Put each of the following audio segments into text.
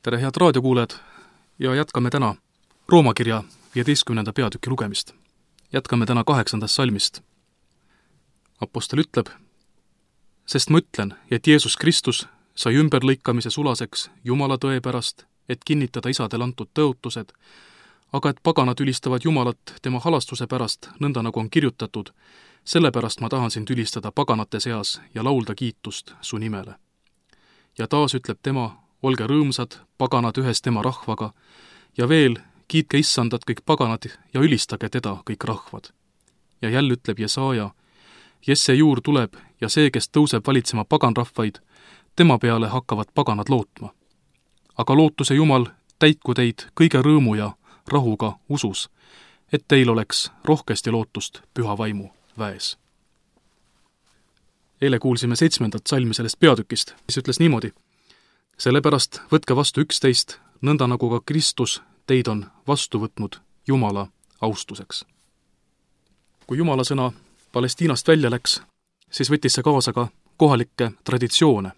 Tere, head raadiokuulajad, ja jätkame täna Rooma kirja 15. peatüki lugemist. Jätkame täna 8. salmist. Apostel ütleb, sest ma ütlen, et Jeesus Kristus sai ümberlõikamise sulaseks Jumala tõe pärast, et kinnitada isadel antud tõotused, aga et paganad ülistavad Jumalat tema halastuse pärast, nõnda nagu on kirjutatud, sellepärast ma tahan sind ülistada paganate seas ja laulda kiitust su nimele. Ja taas ütleb tema, olge rõõmsad, paganad ühes tema rahvaga, ja veel, kiitke issandat kõik paganad ja ülistage teda kõik rahvad. Ja jälle ütleb Jesaja, Jesse juur tuleb ja see, kes tõuseb valitsema paganrahvaid, tema peale hakkavad paganad lootma. Aga lootuse Jumal täitku teid kõige rõõmu ja rahuga usus, et teil oleks rohkesti lootust püha vaimu väes. Eile kuulsime 7. salmi sellest peatükist, mis ütles niimoodi, sellepärast võtke vastu 11, nõnda nagu ka Kristus teid on vastu võtnud Jumala austuseks. Kui Jumala sõna Palestiinast välja läks, siis võttis see kaasa ka kohalikke traditsioone.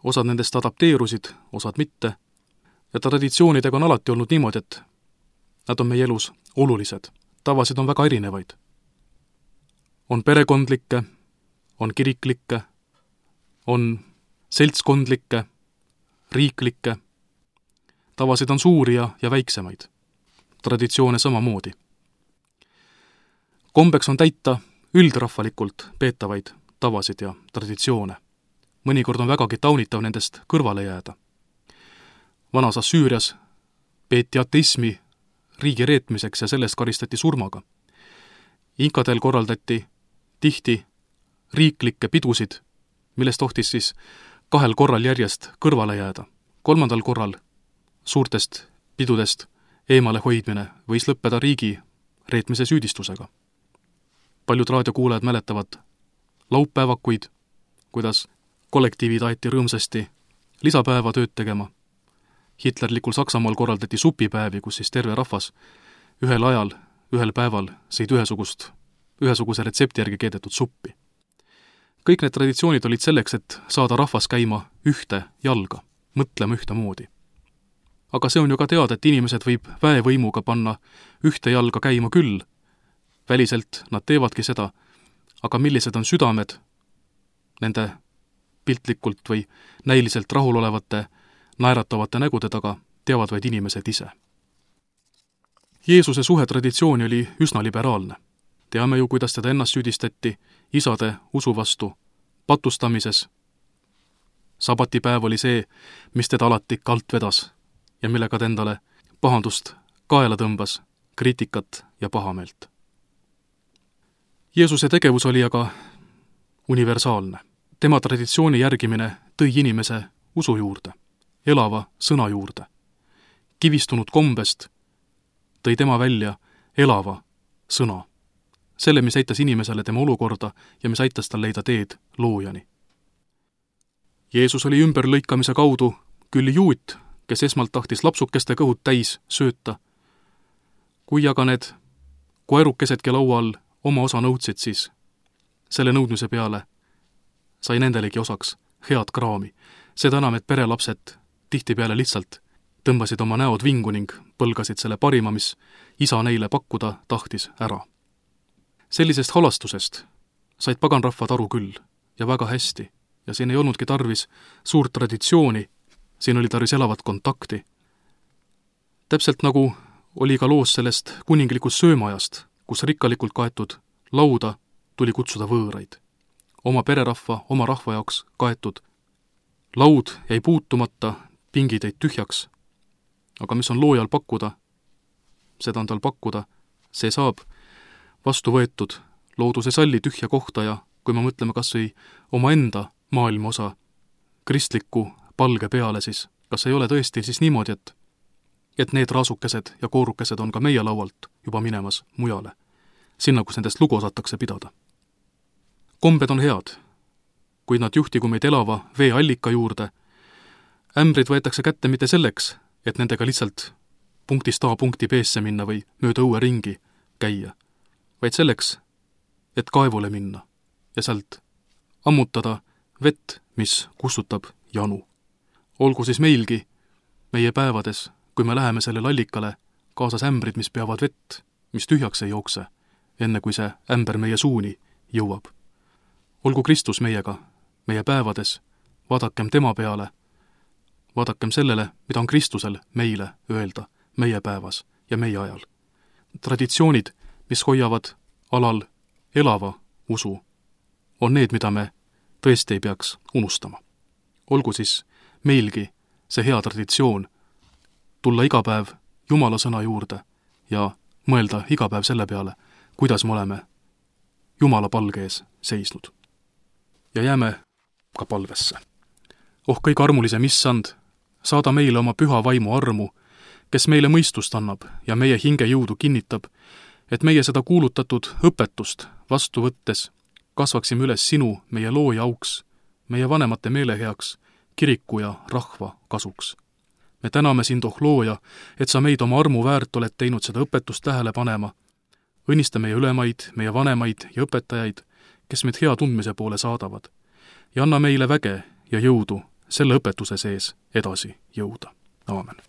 Osad nendest adapteerusid, osad mitte, ja traditsioonidega on alati olnud niimoodi, et nad on meie elus olulised, tavasid on väga erinevaid. On perekondlikke, on kiriklikke, on seltskondlikke, riiklikke, tavasid on suuri ja väiksemaid, traditsioone samamoodi. Kombeks on täita üldrahvalikult peetavaid tavasid ja traditsioone. Mõnikord on vägagi taunitav nendest kõrvale jääda. Vanas Assüürias peeti ateismi riigi reetmiseks ja sellest karistati surmaga. Inkadel korraldati tihti riiklikke pidusid, millest tohtis siis 2 korral järjest kõrvale jääda. 3. korral suurtest pidudest eemale hoidmine võis lõppeda riigi reetmise süüdistusega. Paljud raadiokuulajad mäletavad laupäevakuid, kuidas kollektiivid aeti rõõmsasti lisapäeva tööd tegema. Hitlerlikul Saksamaal korraldati supipäevi, kus siis terve rahvas ühel ajal, ühel päeval sõid ühesuguse retsepti järgi keedetud suppi. Kõik need traditsioonid olid selleks, et saada rahvas käima ühte jalga, mõtlema ühtemoodi. Aga see on ju ka teada, et inimesed võib väevõimuga panna ühte jalga käima küll. Väliselt nad teevadki seda, aga millised on südamed nende piltlikult või näiliselt rahulolevate, naeratavate nägude taga, teavad vaid inimesed ise. Jeesuse suhe traditsiooni oli üsna liberaalne. Teame ju, kuidas teda ennast süüdistati isade usu vastu patustamises. Sabatipäev oli see, mis teda alati kalt vedas ja millega ta endale pahandust kaela tõmbas, kriitikat ja pahameelt. Jeesuse tegevus oli aga universaalne. Tema traditsiooni järgimine tõi inimese usu juurde, elava sõna juurde. Kivistunud kombest tõi tema välja elava sõna. Selle, mis aitas inimesele tema olukorda ja mis aitas tal leida teed loojani. Jeesus oli ümberlõikamise kaudu küll juut, kes esmalt tahtis lapsukeste kõhud täis sööta. Kui aga need koerukesedki laua all oma osa nõudsid, siis selle nõudmise peale sai nendelegi osaks head kraami. Seda enam, et perelapsed tihtipeale lihtsalt tõmbasid oma näod vingu ning põlgasid selle parima, mis isa neile pakkuda tahtis ära. Sellisest halastusest said paganrahvad aru küll ja väga hästi ja siin ei olnudki tarvis suurt traditsiooni, siin oli tarvis elavat kontakti. Täpselt nagu oli ka loos sellest kuninglikust söömajast, kus rikkalikult kaetud lauda tuli kutsuda võõraid. Oma pererahva, oma rahva jaoks kaetud laud jäi puutumata, pingid jäid tühjaks. Aga mis on loojal pakkuda, seda on tal pakkuda, see saab vastu võetud, looduse salli tühja kohta ja kui me mõtleme kas või oma enda maailma osa kristliku palge peale, siis kas ei ole tõesti siis niimoodi, et need raasukesed ja koorukesed on ka meie laualt juba minemas mujale, sinna, kus nendest lugu osatakse pidada. Kombed on head, kuid nad juhtigu meid elava veeallika juurde. Ämbrid võetakse kätte mitte selleks, et nendega lihtsalt punktist A punkti B-sse minna või mööda õue ringi käia, vaid selleks, et kaevule minna ja sealt ammutada vett, mis kustutab janu. Olgu siis meilgi meie päevades, kui me läheme sellele allikale, kaasas ämbrid, mis peavad vett, mis tühjaks ei jookse, enne kui see ämber meie suuni jõuab. Olgu Kristus meiega, meie päevades, vaadakem tema peale, vaadakem sellele, mida on Kristusel meile öelda meie päevas ja meie ajal. Traditsioonid, mis hoiavad alal elava usu, on need, mida me tõesti ei peaks unustama. Olgu siis meilgi see hea traditsioon tulla iga päev Jumala sõna juurde ja mõelda iga päev selle peale, kuidas me oleme Jumala palge ees seisnud. Ja jääme ka palvesse. Oh kõige armulisem Issand, saada meile oma püha vaimu armu, kes meile mõistust annab ja meie hinge jõudu kinnitab, et meie seda kuulutatud õpetust vastu võttes kasvaksime üles sinu, meie looja auks, meie vanemate meele heaks, kiriku ja rahva kasuks. Me täname sind, oh looja, et sa meid oma armu väärt oled teinud seda õpetust tähele panema. Õnnista meie ülemaid, meie vanemaid ja õpetajaid, kes meid hea tundmise poole saadavad, ja anna meile väge ja jõudu selle õpetuse sees edasi jõuda. Aamen.